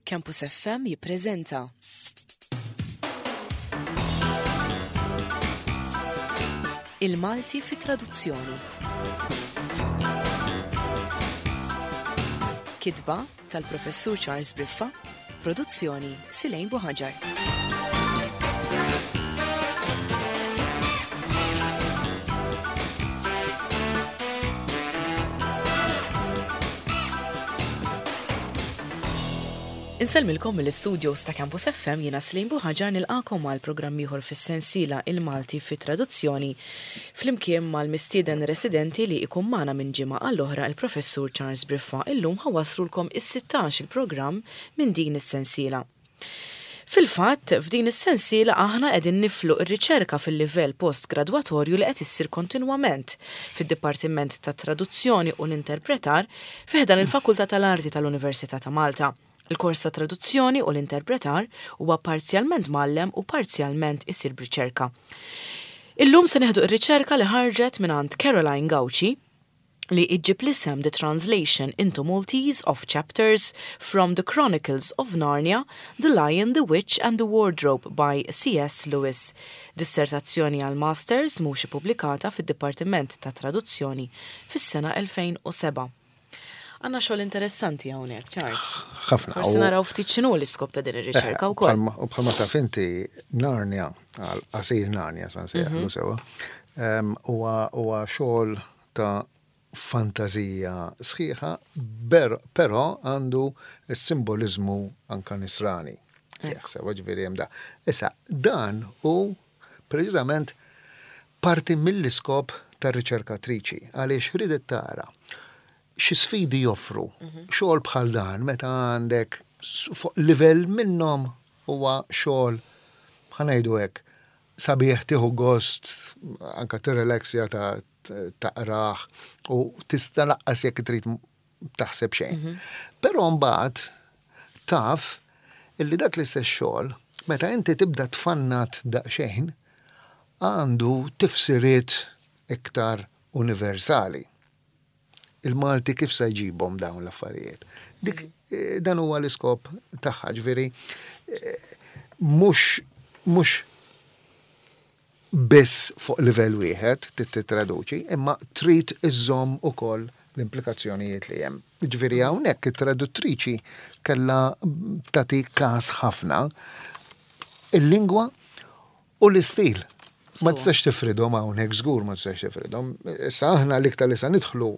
Campus FM jippreżenta. Il-Malti fi traduzzjoni. Kitba tal-Professur Charles Briffa, produzzjoni Silejn Buħaġar. Insellmilkom mill-istudios ta' Campus FM jiena Slim Buħaġar nilqakom għal programm ieħor fis-sensiela Il-Malti fi Traduzzjoni flimkien mal-mistieden residenti li ikun magħna minn ġimgħa għal oħra il-Professur Charles Briffa. Illum ħa wasslulkom is-16 il-programm minn din is-sensiela. Fil-fatt, f'din is-sensiela aħna qegħdin niflu r-riċerka fil-livell post-gradwatorju li qed issir kontinwament fid-Dipartiment tat-Traduzzjoni u l-Interpretar fi ħdan il-Fakultà tal-Arti tal-Università ta' Malta. Il-kors tat-Traduzzjoni u l-Interpretar huwa parzjalment mgħallem u parzjalment isir b'riċerka. Illum se nieħdu r-riċerka li ħarġet mingħand Caroline Gauci, li iġġib l-isem The Translation into Maltese of Chapters from The Chronicles of Narnia, The Lion, The Witch and The Wardrobe by C.S. Lewis, dissertazzjoni għal Masters mhux ippubblikata fid-Dipartiment tat-Traduzzjoni fis-sena 2007. Għandna xogħol interessanti hawnhekk, Charles. Ħafna. Forsi naraw ftit x'inhu l-iskop ta' din ir-riċerka wkoll. U bħalma taf inti Narnia, għal qasir Narnia sa nsejjaħlu sewwa, huwa xogħol ta' fantażija sħiħa, però għandu s-simboliżmu anka nisrani. Fih sewwa ġifieri hemm da. Issa, dan hu preċiżament parti mill-iskop tar-riċerkatriċi għaliex ridet tara xi sfidi joffru xogħol bħal dan meta għandek fuq livell minnhom huwa xogħol ħa ngħidu hekk sabiħ tieħu gost anka tirrelaxja ta' taqrah u tista' laqqas jekk trid taħseb xejn. Mhm. Però mbagħad taf illi dak l-istess xogħol meta inti tibda tfannat daqsxejn għandu tifsiriet iktar universali. Il-Malti kif se jġibhom dawn l-affarijiet? Dik mhm. eh, dan huwa l-iskop tagħha, ġifieri eh, mhux mhux biss fuq livell wieħed trid tittraduċi, imma trid iżżomm ukoll l-implikazzjonijiet li hemm. Jiġifieri hawnhekk it-traduttriċi kellha tagħti każ ħafna il-lingwa u l-istil. Ma tistax tifridhom hawnhekk żgur ma tistax tifridhom. Issa aħna l-iktar li sa nidħlu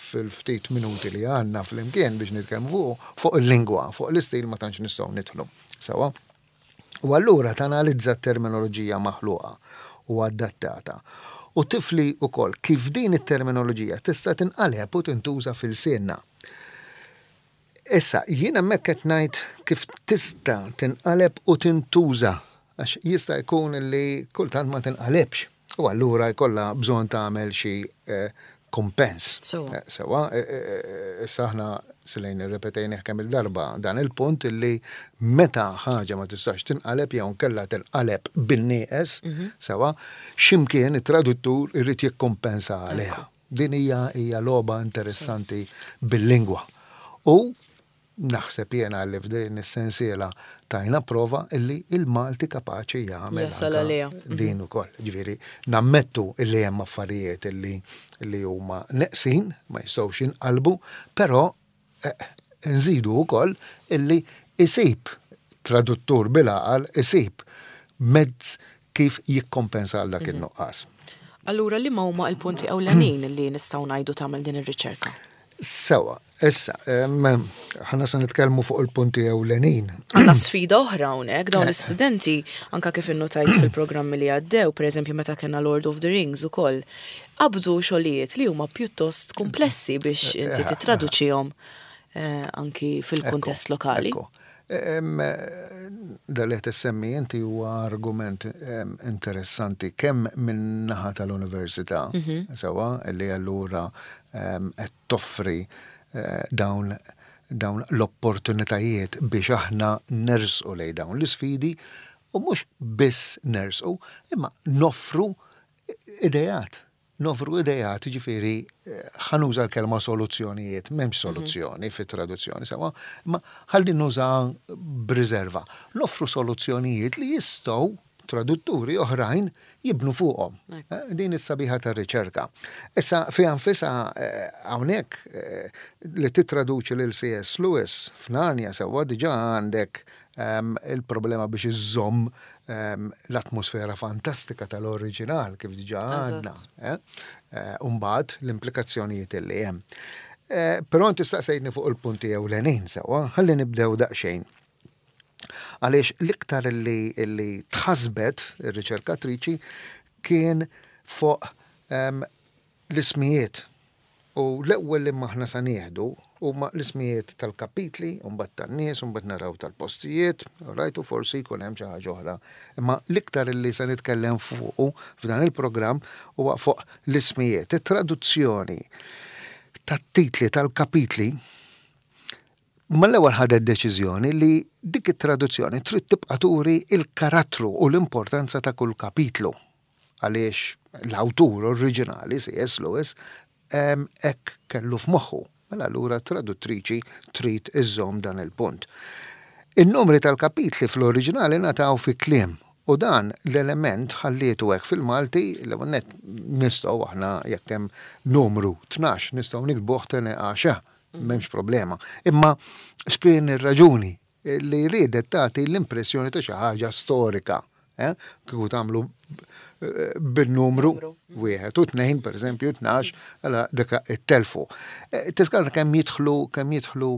fil-ftit minuti li għandna flimkien biex nitkellmu fuq fuq il-lingwa, fuq l-istil ma tantx nistgħu nidħlu. Sewwa? U allura tanalizza t-terminoloġija maħluqa u adattata u tifli wkoll kif din it-terminoloġija tista' tinqaleb u tintuża f'ilsienna. Issa, jien hemmhekk qed ngħid kif tista' tinqaleb u tintuża għax jista' jkun li kultant ma tinqalebx. U allura jkollha bżonn tagħmel xi kumpens. Sewwa. Issa aħna silejn irrepetejnih kemm-il darba dan il-punt illi meta ħaġa ma tistax tinqaleb jew inkella tinqaleb bin-nieqes, sewwa, x'imkien it-traduttur irid jikkumpensa għaliha. Din hija hija logħba interessanti bil-lingwa. U Naħseb jiena li f'din is-sensiela tajna prova illi il-Malti kapaċi jagħmel Jasal għaliha. din ukoll. Ġifieri nammettu illi hemm affarijiet illi li huma neqsin, ma jistgħux jinqalbu, però eh, nżidu wkoll illi isib traduttur bil-għaqal isib mezz kif jikkompensa għal dak mhm. in-nuqqas. Allura liema huma l-punti ewlenin li nistgħu ngħidu tagħmel din ir-riċerka? Sewa, issa, ħana se nitkellmu fuq il-punti ewlenin. Għandna sfida oħra hawnhekk dawn eh. l-istudenti anka kif innotajt fil-programmi li għaddew, pereżempju meta kellna Lord of the Rings ukoll, qabdu xogħlijiet li huma pjuttost komplessi biex eh, inti eh, titraduċihom anki fil-kuntest lokali. Dan li qed issemmi inti huwa argument interessanti kemm min-naħa tal-università, mhm. sewwa, li allura qed toffri eh, dawn dawn l-opportunitajiet biex aħna nersqu lejn dawn l-isfidi u mhux biss nersqu, imma noffru idejat. Nofru ideat, ġifieri ħa nuża l-kelma soluzzjonijiet, m'hemmx soluzzjoni fit-traduzzjoni sewwa, imma ħalli nuża b'riserva. Nofru soluzzjonijiet li jistgħu tradutturi oħrajn jibnu fuqhom. Din is-sabiħa tar-riċerka. Issa fiha nfisha hawnhekk li tittraduċi lil C.S. Lewis f'Narnia sewwa diġà għandek il-problema biex iżżomm l-atmosfera fantastika tal-oriġinal kif diġà għandna. U mbagħad l-implikazzjonijiet li hemm. Però inti staqsejtni fuq il-punti ewlenin sewwa, ħalli nibdew daqsxejn. Għaliex l-iktar li, li tħasbet ir-riċerkatriċi kien fuq l-ismijiet. U l-ewwel li aħna sa nieħdu huma l-ismijiet tal-kapitli, u mbagħad tan-nies, u mbagħad naraw tal-postijiet, right, u forsi jkun hemm xi ħaġa oħra. Imma l-iktar li se nitkellem fuqu f'dan il-programm huwa fuq l-ismijiet. It-traduzzjoni tat-titli tal-kapitli mal-ewwel ħadet deċiżjoni li dik it-traduzzjoni trid tibqa' turi il-karattru u l-importanza ta' kull kapitlu. Għaliex l-awtur oriġinali, C.S. Lewis, hekk kellu f'moħħu. Mela allura traduttriċi trid iżżomm dan il-punt. In-numri tal-kapitli fl-oriġinali ngħataw fi kliem u dan l-element ħallietu hekk fil-Malti. L-ewwel nett nistgħu aħna jekk hemm numru 12 nistgħu niktbuh tene għaxa, m'hemmx problema. Imma x'kien ir-raġuni li riedet tagħti l-impressjoni ta' xi ħaġa storika. Eh? Kieku tagħmlu bin-numru 1 u 2, per eżempju, 12, għala deka it-telfu. Tiskanta kemm jidħlu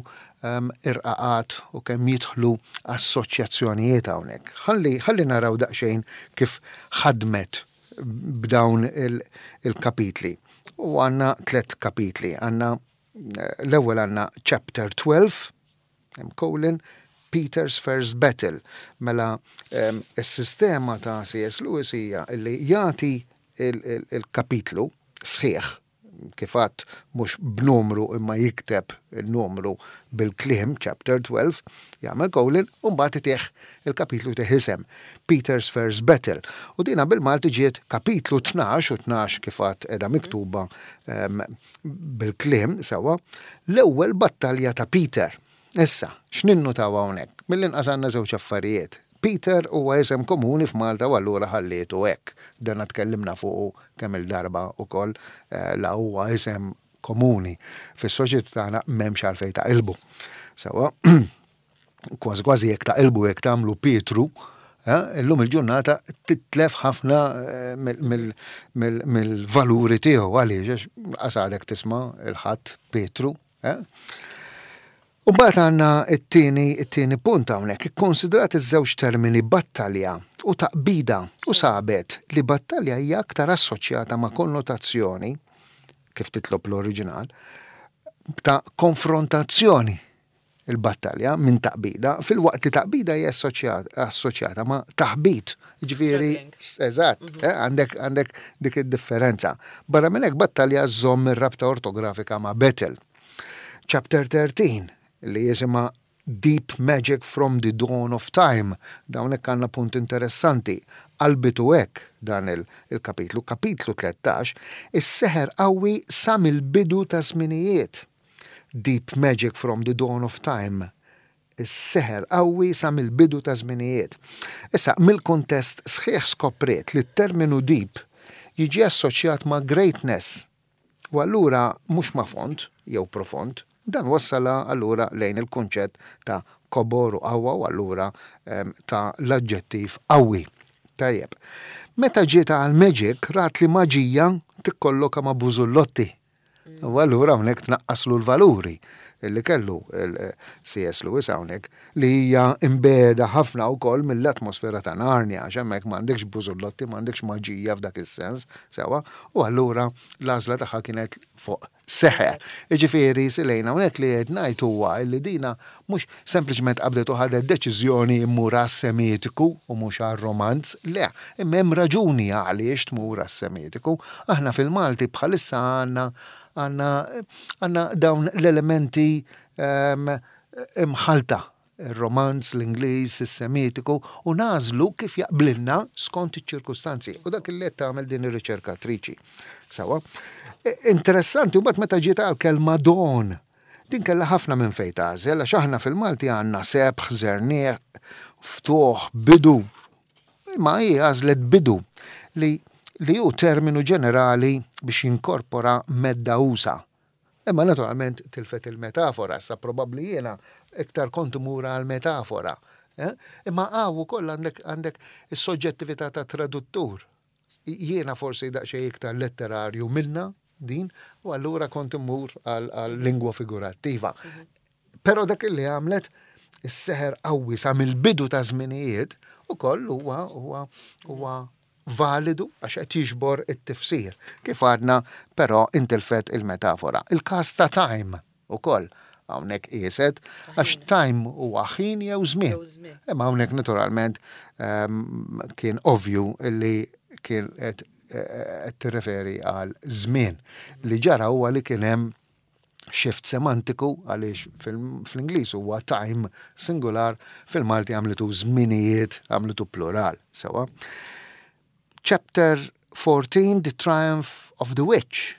irqaqat u kemm jidħlu assoċjazzjonijiet hawnhekk. Ħalli naraw daqsxejn kif ħadmet b'dawn il-kapitli. U għandna tlet kapitli. Għandna l-ewwel għandna chapter 12, colon, Peter's First Battle. Mela, is-sistema ta' C.S. Lewis hija li jagħti il-kapitlu sħiħ, kif għedt, mhux b'numru imma jikteb il-numru bil-kliem, chapter 12, jagħmel colon, u mbagħad itih il-kapitlu, itih isem, Peter's First Battle. U dina bil-Malti ġiet kapitlu 12, u 12 kif għedt qiegħda miktuba bil-kliem sewwa, l-ewwel battalja ta' Peter. Issa, x'ninnutaw hawnhekk? Mill-inqas għandna żewġ affarijiet. Peter huwa isem komuni f'Malta u allura ħallietu hekk. Dan tkellimna fuqu kemm il-darba ukoll, la huwa isem komuni fis-soċjetà tagħna, m'hemmx għalfejn taqilbu. Sewwa, kważi kważi jekk taqilbu, jekk tagħmlu Pietru, illum il-ġurnata titlef ħafna mill-valuri tiegħu, għaliex għax għadek tisma' 'l ħadd Pietru. U mbagħad għandna it-tieni punt hawnhekk, ikkonsidrat iż-żewġ termini battalja u taqbida u sabet li battalja hija aktar assoċjata ma' konnotazzjoni, kif titlob l-oriġinal, ta' konfrontazzjoni, il-battalja, minn taqbida, filwaqt li taqbida hija assoċjata ma' taħbit. Ġifieri, eżatt, għandek dik id-differenza. Barra minn hekk, battalja żomm ir-rabta ortografika ma' battle. Chapter 13, li jisimha Deep Magic from the Dawn of Time. Dawn hekk għandna punt interessanti. Qalbitu hekk dan il-kapitlu. Kapitlu 13, is-seħer qawwi sa mill-bidu ta' żminijiet. Deep Magic from the Dawn of Time. Is-seħer qawwi sa mill-bidu ta' żminijiet. Issa, mill-kuntest sħiħ skopriet li t-terminu deep jiġi assoċjat ma' greatness. U allura mhux ma' fond jew profond. Dan wassala allura lejn il-kunċett ta' kobor u qawwa u allura ta' l-aġġettiv qawwi. Tajjeb. Meta ġiet għal magic, rat li maġija tikkolloka ma' bużullotti. U allura hawnhekk tnaqqaslu l-valuri li kellu C.S. Lewis hawnhekk, li hija imbeda ħafna wkoll mill-atmosfera ta' Narnia, għax hemmhekk m'għandekx bużullotti, m'għandekx maġija f'dak is-sens, sewwa, u allura l-għażla tagħha kienet fuq seħer. Jiġifieri silejna hawnhekk li qed ngħid huwa li dina mhux sempliċement qabdet u ħadet deċiżjoni immur għas-semitiku u mhux għar-romanz, le, imma hemm raġuni għaliex tmur għas-semitiku. Aħna fil-Malti bħalissa għandna dawn l-elementi imħalta. Ir-Romanz, l-Ingliż, is-Semitiku, u nagħżlu kif jaqblilna skont iċ-ċirkustanzi. U dak li qed tagħmel din ir-riċerkatriċi. Sewwa. Interessanti, mbagħad meta ġiet għall-kelma dawn, din kellha ħafna minn fejn tagħżel, għax aħna fil-Malti għandna sebħ, żerniq, ftuħ, bidu. Imma hi għażlet bidu li li hu terminu ġenerali biex jinkorpora medda usa'. Imma naturalment tilfet il-metafora, issa probabbli jiena iktar kont imur għall-metafora. Eh? Imma hawn ukoll għandek għandek is-soġġettività ta' traduttur. Jiena forsi daqsxejn iktar letterarju minna din, u allura kont immur għal lingwa figurattiva. Però dak li għamlet is-seħer qawwi sa mill-bidu ta' żminijiet ukoll huwa huwa huwa validu għax qed jiġbor it-tifsir. Kif għadna, però intilfet il-metafora. Il-każ ta' time ukoll hawnhekk qieset għax time huwa ħin jew żmien. Imma hawnhekk naturalment ehm, kien ovvju li kien qed eh, tirreferi għal żmien. Li ġara huwa li kien hemm shift semantiku għaliex fl-Ingliż huwa time singular, fil-Malti għamlitu żminijiet, għamlitu plural, sewa. Chapter 14, The Triumph of the Witch,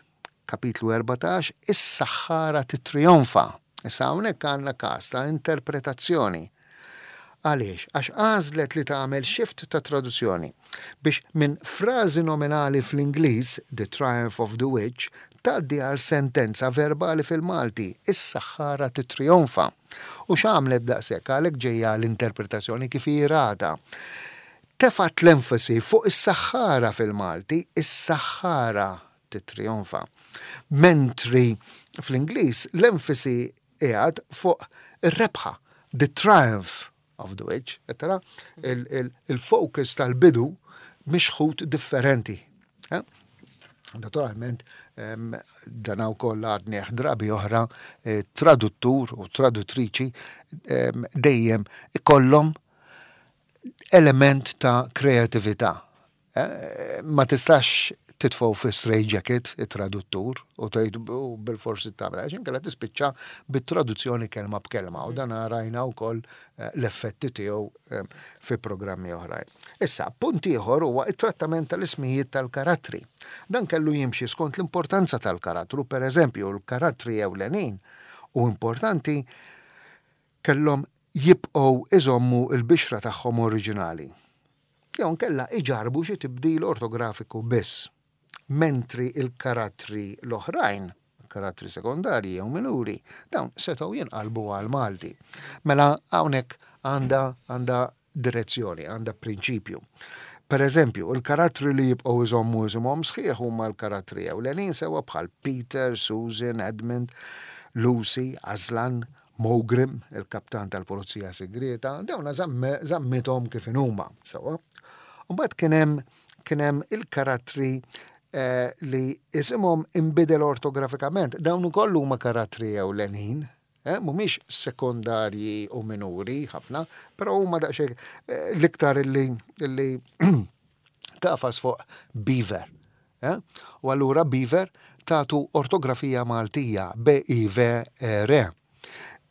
kapitlu 14, is-saħħara titrionfa. Issa hawnhekk għandna każ ta' interpretazzjoni. Għaliex? Għax għażlet li tagħmel shift ta' traduzzjoni biex minn frażi nominali fl-Ingliż, The Triumph of the Witch, tgħaddi għal sentenza verbali fil-Malti, Is-saħħara tittrijonfa. U x'għamlet b'daqshekk? Għalhekk ġejja l-interpretazzjoni kif hi ratha. Tefgħet l-enfasi fuq is-saħħara fil-Malti, Is-saħħara tittrijonfa. Mentri fl-Ingliż l-enfasi qiegħed fuq ir-rebħa, the triumph of the witch, qed tara? Il-focus tal-bidu mixħut differenti. Eh? Naturalment, dan wkoll għadnieh drabi oħra, eh, traduttur u traduttriċi dejjem ikollhom element ta' kreatività. Ma tistax titfgħu fi straight jacket it-traduttur u tgħid u bil-forsi tagħmel għax inkella tispiċċa bit-traduzzjoni kelma b'kelma u dan rajna wkoll eh, l-effetti tiegħu eh, fi programmi oħrajn. Issa, punt ieħor huwa it-trattament tal-ismijiet tal-karattri. Dan kellu jimxi skont l-importanza tal-karattru, per eżempju, l-karattri ewlenin u importanti kellhom jibqgħu iżommu l-bixra tagħhom oriġinali. Jew inkella iġarrbu xi tibdil ortografiku biss, mentri l-karattri l-oħrajn, karattri sekondarji jew minuri, dawn setgħu jinqalbu għall-Malti. Mela hawnhekk għandha għandha direzzjoni, għandha prinċipju. Per eżempju, il-karattri li jibqgħu iżommu isimhom sħiħ huma l-karattri ewlenin sewwa bħal Peter, Susan, Edmund, Lucy, Aslan, Mogrim, il-kaptan tal-pulizija sigrieta, dawna żammithom kif inhuma, sewwa. Mbagħad kien hemm kien hemm il-karattri eh, li isimhom inbidel ortografikament. Dawn ukoll huma karattri ewlenin, eh, mhumiex sekondarji u minuri ħafna, però huma daqsxejn eh, l-iktar illi illi tafas fuq Beaver. Eh? U allura Beaver tatu ortografija Maltija, B-I-V-E-R.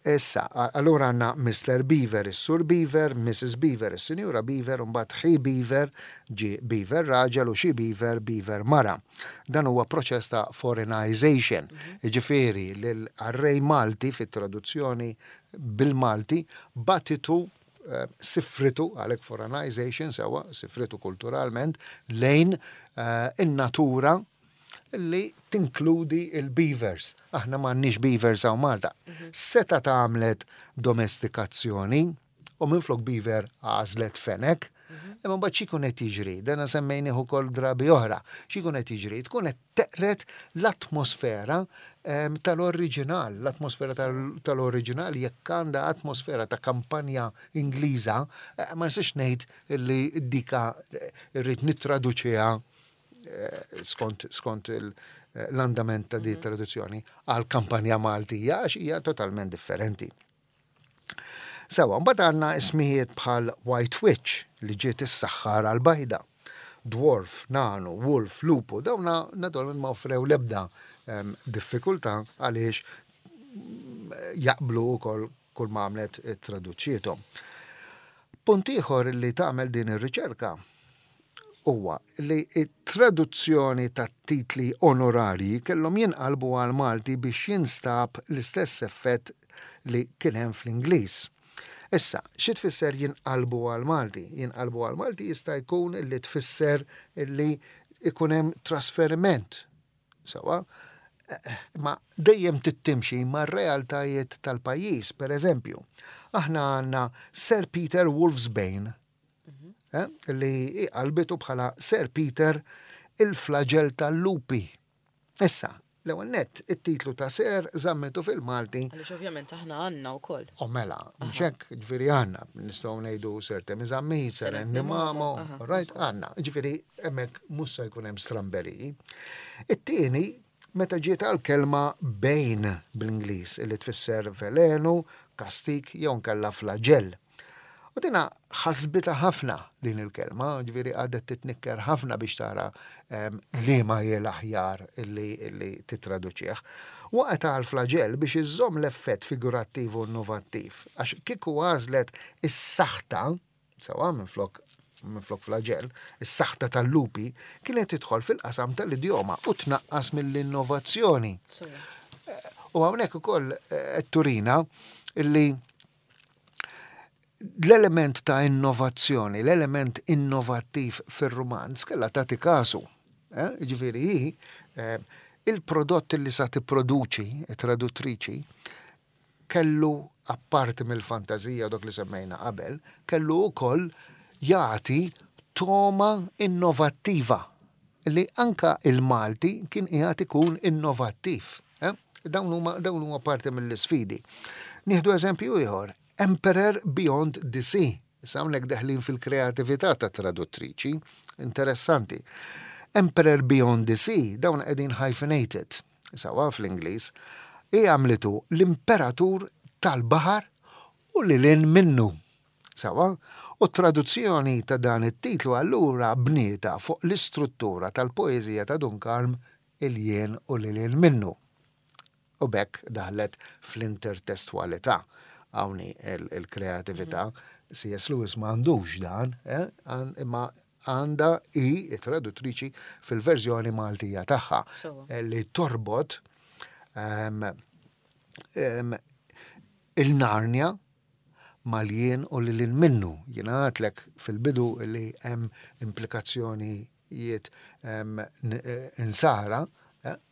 Issa, allura għandna Mr. Beaver, is-Sur Beaver, Mrs. Beaver, is-Sinjura Beaver, u mbagħad He Beaver, ġie Beaver raġel u She Beaver, Beaver mara. Dan huwa proċess ta' foreignization, jiġifieri l-qarrej Malti fit-traduzzjoni bil-Malti bagħtitu eh, sifritu, għalhekk foreignization sewwa, sifritu kulturalment, lejn eh, in-natura li tinkludi il-beavers. Aħna m'għandniex beavers hawn Malta. Mhm. Seta tagħmlet domestikazzjoni u minflok beaver għażlet fenek, mhm. imma mbagħad x'ikun qed jiġri, dana semmejnih ukoll drabi oħra, x'ikun qed jiġri, tkun qed teqred l-atmosfera ehm, tal-oriġinal, l-atmosfera tal-oriġinal jekk għandha atmosfera ta' kampanja Ingliża, eh, ma nistax ngħid li dika eh, rrid nittraduċiha eh, skont skont l-andament ta' di mhm. traduzzjoni għal kampanja Maltija għax hija totalment differenti. Sewa, mbagħad għandna ismijiet bħal White Witch li ġiet is-saħħara l-bajda, Dwarf, Nanu, Wolf, Lupu, dawna naturalment ma offrew l-ebda ehm, diffikultà għaliex jaqblu wkoll Kull ma għamlet traduċietom. Punt ieħor li tagħmel din ir-riċerka huwa li t-traduzzjoni tat-titli onorarji kellhom jinqalbu għall-Malti biex jinstab l-istess effett li kien hemm fl-Ingliż. Issa, xi tfisser jinqalbu għall-Malti? Jinqalbu għall-Malti jista' jkun li tfisser li ikun hemm trasferiment. Sewwa? Imma dejjem trid timxi mar-realtajiet tal-pajjiż. Per eżempju, aħna għandna Sir Peter Wolfsbane, eh, li qalbitu bħala Sir Peter il-flagell tal-lupi. Issa, l-ewwel nett, it-titlu ta' Sir żammitu fil-Malti. Għaliex ovvjament aħna għandna wkoll. O mela, mhux hekk, ġifieri għandna, nistgħu ngħidu Sir Temi Zammit, Sir Andy Mamo, right, għandna. Ġifieri hemmhekk mhux se jkun hemm stramberiji. It-tieni, meta ġiet għall-kelma bane bl-Ingliż, li tfisser velenu, kastig jew inkella flaġell. U dina ħasbitha ħafna din il-kelma, ġifieri qagħdet titnikker ħafna biex tara ehm, liema hi l-aħjar illi, illi titraduċih. Waqgħet għal flaġell biex iżżomm l-effett figurattiv u innovattiv, għax kieku għażlet is-saħta, sewa minflok minflok flaġell, is-saħta tal-lupi kienet tidħol fil-qasam tal-idjoma u tnaqqas mill-innovazzjoni. U hawnhekk ukoll eh, turina illi L-element ta' innovazzjoni, l-element innovattiv fir-rumanz kellha tagħti kasu. Eh? Jiġifieri hi eh, il-prodott li sa tipproduċi, it-traduttriċi, kellu apparti mill-fantażija dok li semmejna qabel, kellu wkoll jagħti toma innovattiva li anka il-Malti kien qiegħed ikun innovattiv. Eh? Dawn huma dawn huma parti mill-isfidi. Nieħdu eżempju ieħor, Emperor Beyond the Sea. Issa hawnhekk deħlin fil-kreatività ta' traduttriċi, interessanti. Emperor Beyond the Sea, dawn qegħdin hyphenated, sawa fl-Ingliż, hi għamlitu l-imperatur tal-baħar u lil hinn minnu. Sawa? U t-traduzzjoni ta' dan it-titlu allura bnietha fuq l-istruttura tal-poeżija ta' Dun Karm il-jien u lil hinn minnu. U b'hekk daħlet fl-intertestwalità. Hawn hi l-kreatività. C.S. Lewis ma għandux dan, eh, imma għandha hi it-traduttriċi fil-verżjoni Maltija tagħha eh, li torbot ehm, ehm, il-Narnia mal-jien u lil hinn minnu. Jiena għadtlek fil-bidu li hemm implikazzjonijiet insara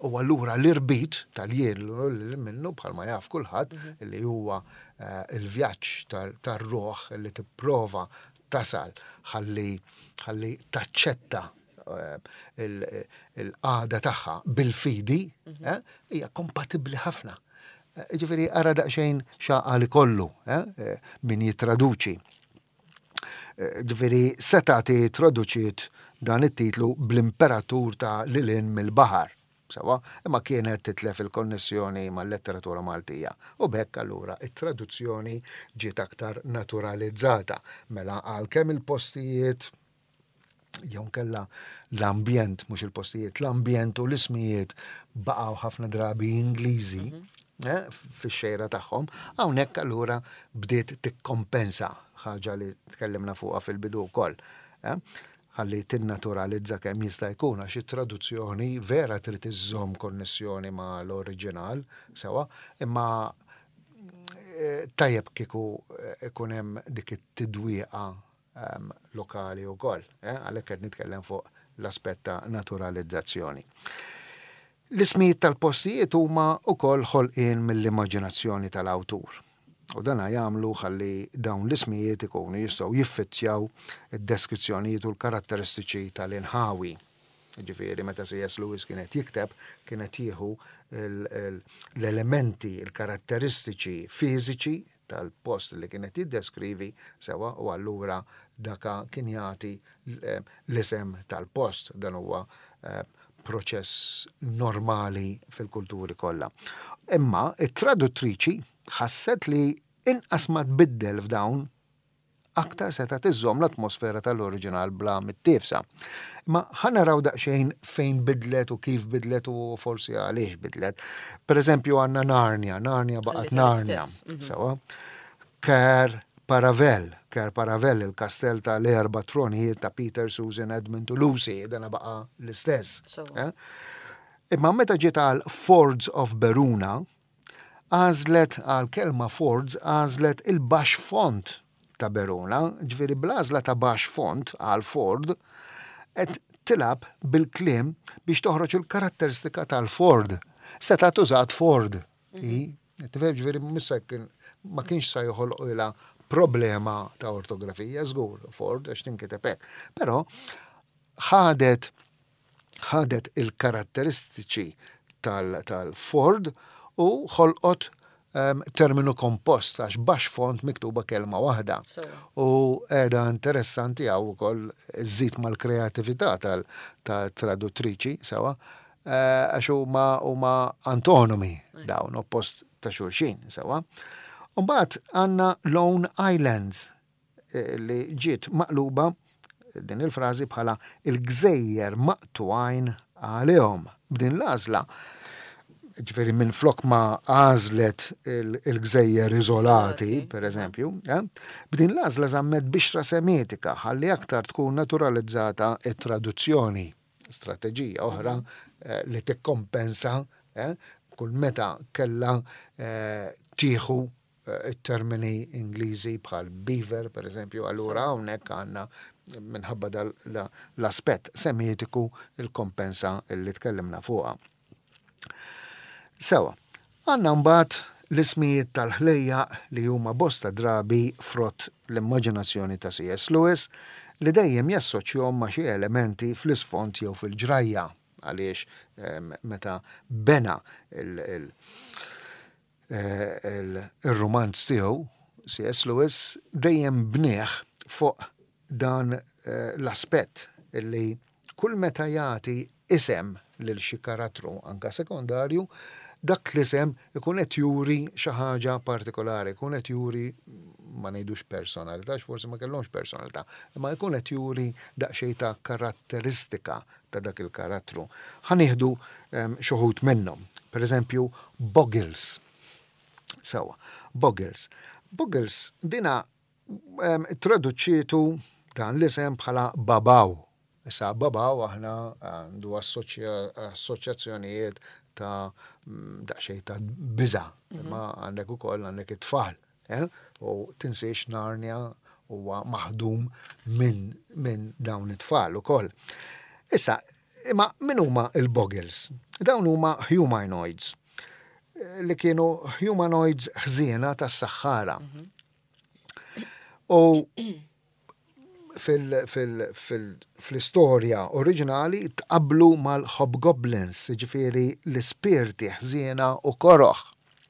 u allura l-irbit tal-jien u lil hinn minnu bħalma jaf kulħadd mhm. li huwa eh, il-vjaġġ tar-ruħ li tipprova tasal ħalli ħalli taċċetta eh, il-qagħda tagħha bil-fidi mhm. eh, hija kompatibbli ħafna Ġifieri ara daqsxejn x'għaqal ikollu eh, min jittraduċi. Eh, ġifieri setgħet traduċiet dan it-titlu bl-imperatur ta' lilin mill-baħar. Sewa, imma kienet titlef il-konnessjoni mal-letteratura Maltija. U b'hekk allura it-traduzzjoni ġiet aktar naturalizzata. Mela għalkemm il-postijiet jew nkella l-ambjent, mhux il-postijiet, l-ambjent u l-ismijiet baqgħu ħafna drabi Ingliżi mhm. eh, fix-xejra tagħhom, hawnhekk allura bdiet tikkompensa ħaġa li tkellimna fuqha fil-bidu wkoll. Eh, ħalli tinnaturalizza kemm jista' jkun għax it-traduzzjoni vera trid iżżomm konnessjoni ma' l-oriġinal sewa, imma eh, tajjeb kieku ikun hemm dik it-tidwieqa lokali wkoll. Eh, għalhekk qed nitkellem fuq l-aspett ta' naturalizzazzjoni. L-ismijiet tal-postijiet huma wkoll ħolqien mill-immaġinazzjoni tal-awtur. U dana jagħmlu ħalli dawn l-ismijiet ikunu jistgħu jiffittjaw id-deskrizzjonijiet u l-karatteristiċi tal-inħawi. Ġifieri meta C.S. Lewis kien qed jikteb, kien qed jieħu l-elementi, il-karatteristiċi fiżiċi tal-post li kien qed jiddeskrivi sewwa u allura daka kien jagħti l-isem tal-post. Dan huwa eh, proċess normali fil-kulturi kollha. Imma it-traduttriċi ħasset li inqas ma tbiddel f'dawn aktar setgħet iżżomm l-atmosfera tal-oriġinal bla mittiefsa. Imma ħa naraw daqsxejn fejn bidlet u kif bidlet u forsi għaliex bidlet. Per eżempju għandna Narnia, Narnia baqgħet Narnia. Mhm. Sewa. Caer Paravel, Caer Paravel, il-kastell ta' l-erba' tronijiet ta' Peter, Susan, Edmund u Lucy, dana baqa' l-istess. Eh? Imma meta ġiet għal Fords of Beruna, għażlet għal kelma Fords għażlet il-baxx font ta' Beruna, ġifieri bl-għażla ta' baxx font għal Ford, qed tilgħab bil-kliem biex toħroġ il-karatteristika tal-Ford. Setgħet użat Ford. Hi, tifhem ġifieri mhux kien ma kienx sa joħolqilha problema ta' ortografija, żgur, Ford għax tinkiteb hekk. Però ħadet ħadet il-karatteristiċi tal-Ford u ħolqot ehm, terminu kompost għax baxx font miktuba kelma waħda. U qiegħda interessanti hawn ukoll żżid mal-kreatività tal-traduttriċi sewa eh, għax huma huma antonomi dawn oppost ta' xulxin sewa. Mbagħad għandna Lone Islands eh, li ġiet maqluba din il-frażi bħala il-gżejjer maqtugħin għalihom. B'din l-għażla, ġifieri minn flok ma għażlet il-gżejjer iżolati, per eżempju, eh, b'din l-għażla żammet bixra semitika ħalli aktar tkun naturalizzata it-traduzzjoni. Strateġija oħra eh, li tikkompensa eh, kull meta kella tieħu it-termini Ingliżi bħal beaver, per eżempju, allura hawnhekk għandna minħabba l-aspett semitiku il-kompensa li tkellimna fuqha. Sewa, għandna mbagħad l-ismijiet tal-ħlejjaq li huma bosta drabi frott l-immaġinazzjoni ta' C.S. Lewis li dejjem jassoċjahom ma' xi elementi fl-isfond jew fil-ġrajja għaliex ehm, meta bena il- Ir-rumanz tiegħu, C.S. Lewis, dejjem bnieh fuq dan l-aspett li kull meta jagħti isem lil xi karattru anke sekondarju, dak l-isem ikun qed juri xi ħaġa partikolari, ikun qed juri ma ngħidux personalità għax forsi ma kellhomx personalità, imma jkun qed juri daqsxejn ta' karatteristika ta' dak il-karattru. Ħa nieħdu xi wħud minnhom. Per eżempju, Boggles. Sewa, Boggles. Boggles dina traduċċietu dan l-isem bħala Babaw. Issa Babaw aħna għandu assoċjazzjonijiet ta' daqsxejn ta' biża', imma għandek ukoll għandek it-tfal. Eh? U tinsiex Narnia huwa maħdum minn min dawn it-tfal ukoll. Issa, imma min huma il-Boggles? Dawn huma humanoids eh, li kienu humanoids ħżiena tas-saħħara. Mhm. U fil-istorja oriġinali tqabblu mal-hobgoblins, jiġifieri l-ispirti ħżiena u koroh.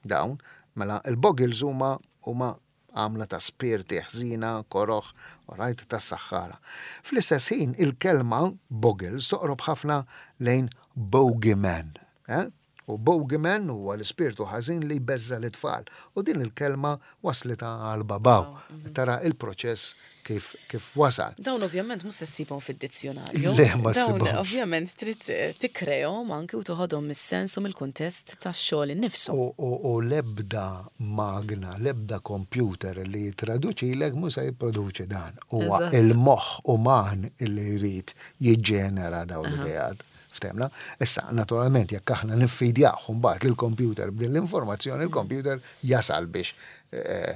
Dawn, mela il-boggles huma huma għamla ta' spirti ħżiena, koroh, alright, tas-saħħara. Fl-istess ħin il-kelma boggles toqrob ħafna lejn bogeyman. Eh? U bogeyman huwa l-ispirtu ħażin li jbeżża' lit-tfal. U din il-kelma waslitha għal babaw. Tara il-proċess kif kif wasal. Dawn ovvjament mhux se ssibhom fid-dizzjonarju. Le, ma ssibhomx. Dawn ovvjament trid tikkrejhom anki u toħodhom mis-sens u mill-kuntest tax-xogħol innifsu. U l-ebda magna, l-ebda kompjuter li jittraduċilek mhu se jipproduċi dan. Huwa il-moħħ uman li jrid jiġġenera dawn l-ideat. Ftehmna? Issa, naturalment, jekk aħna niffidjawh mbagħad lill-kompjuter b'din l-informazzjoni, il-kompjuter jasal biex eh,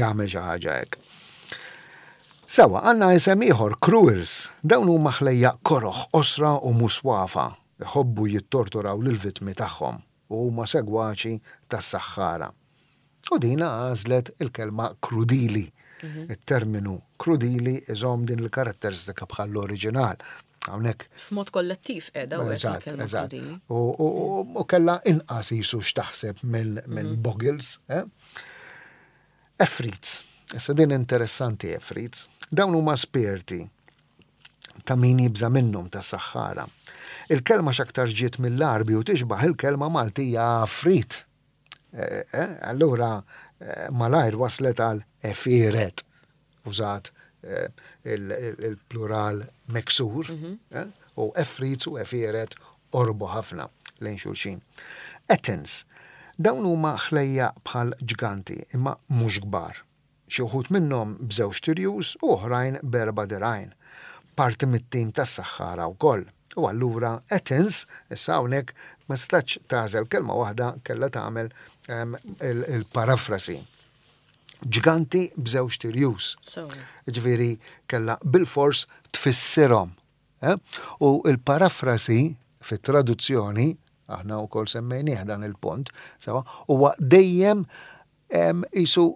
jagħmel xi ħaġa hekk. Sewa, għandna isem ieħor, cruels. Dawn huma ħlejjaq koroh, qosra u muswafa, iħobbu jittorturaw lill-vittmi tagħhom u huma segwaċi tas-saħħara. U dina għażlet il-kelma krudili. Mhm. Il-terminu krudili iżomm din il-karatteristika bħall-oriġinal. Hawnhekk. F'mod kollettiv qiegħda u il-kelma krudili. U kellha inqas jisu x'taħseb minn mhm. Boggles. Eh? Efrits. Issa din interessanti Efrits. Dawn huma spirti ta' min jibża' minnhom tas-saħħara. Il-kelma x'aktar ġiet mill-Għarbi u tixbaħ il-kelma Maltija għafrit. Eh, eh, allura eh, malajr waslet għal efiret, użat il-plural meksur, mhm. u efrit u efiret orbu ħafna lejn xulxin. Athens. Dawn huma ħlejjaq bħal ġganti imma mhux kbar. Xi wħud minnhom b'żewġt irjus u oħrajn b'erba' dirgħajn. Parti mit-tim tas-saħħara wkoll. U allura Athens, issa hawnhekk ma setgħetx tagħżel kelma waħda kellha tagħmel il-parafrasi. Ġganti b'żewġt irjus. Jiġifieri kellha bilfors tfissirhom. Eh? U l-parafrasi fit-traduzzjoni, aħna wkoll semmejnieh dan il-punt, sewa, huwa dejjem qisu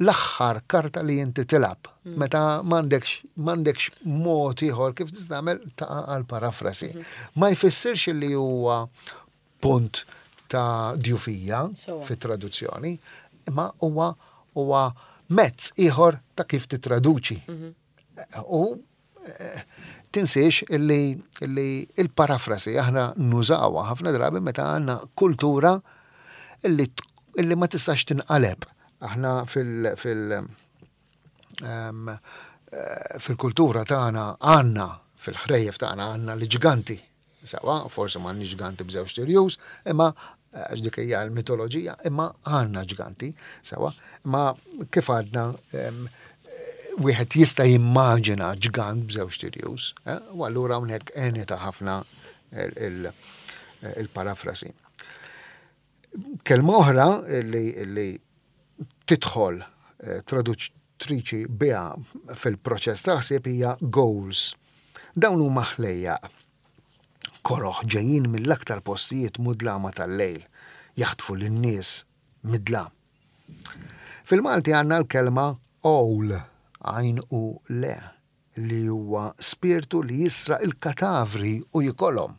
l-aħħar karta li inti tilgħab. Mm. Meta m'għandekx m'għandekx mod ieħor kif tista' tagħmel taqa' għal parafrasi. Mm-hmm. Ma jfissirx li huwa punt ta' djufija fit-traduzzjoni, imma huwa huwa mezz ieħor ta' kif titraduċi. Mm-hmm. U Tinsiex illi, illi il-parafrasi aħna nużawha ħafna drabi meta għandna kultura illi, illi ma tistax tinqaleb. Aħna fil, fil, um, fil-kultura tagħna għandna fil-ħrejjef tagħna għandna l-ġganti. Sawa, forsi m'għandniex ġganti b'żewġ tirjus, imma għax dik hija l-mitoloġija, imma għandna ġganti, sawa, imma kif għadna wieħed jista' jimmaġina ġgant b'żewġ tirjus, eh, u allura hawnhekk għenita ħafna il-parafrasi. Kelma oħra li tidħol eh, traduttriċi biha fil-proċess tal-ħsieb hija goals. Dawn huma ħlejjaq koroh ġejjin mill-aktar postijiet mudlama tal-lejl, jaħtfu lin-nies mid-dlam. Fil-Malti għandna l-kelma għowl, għajn u le, li huwa spirtu li jisraq il-katavri u jikolhom.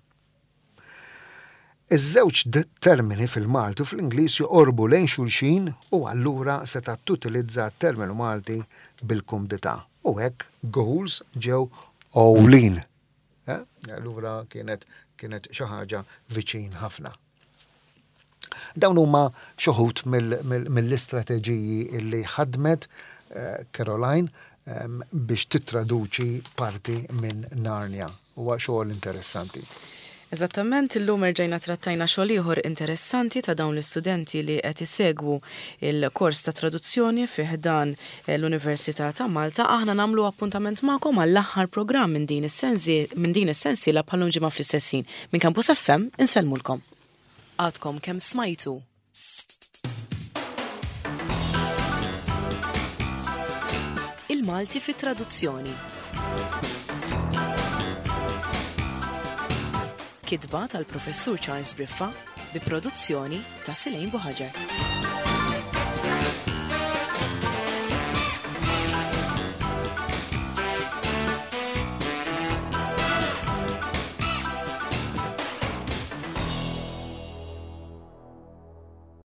Iż-żewġ termini fil-Malti u fl-Ingliż joqorbu lejn xulxin u allura setgħet tutilizza t-terminu Malti bil-kumdità. U hekk goals ġew għowlin. Eh? Allura kienet kienet xi ħaġa viċin ħafna. Dawn huma xi wħud mill-istrateġiji li ħadmet eh, Caroline ehm, biex tittraduċi parti minn Narnia. Huwa xogħol interessanti. Eżattament, illum erġajna trattajna xogħol ieħor interessanti ta' dawn l-istudenti li qed isegwu il-kors ta' traduzzjoni fi ħdan eh, l-Università ta' Malta. Aħna nagħmlu appuntament magħkom għall-aħħar programm minn din is-sensiela bħal ġimgħa fl-istess ħin. Minn Campus FM insellmulkom. Għadkom kemm smajtu Il-Malti fit traduzzjoni. Kitba tal-Professur Charles Briffa bi produzzjoni ta' Silejn Buħaġar.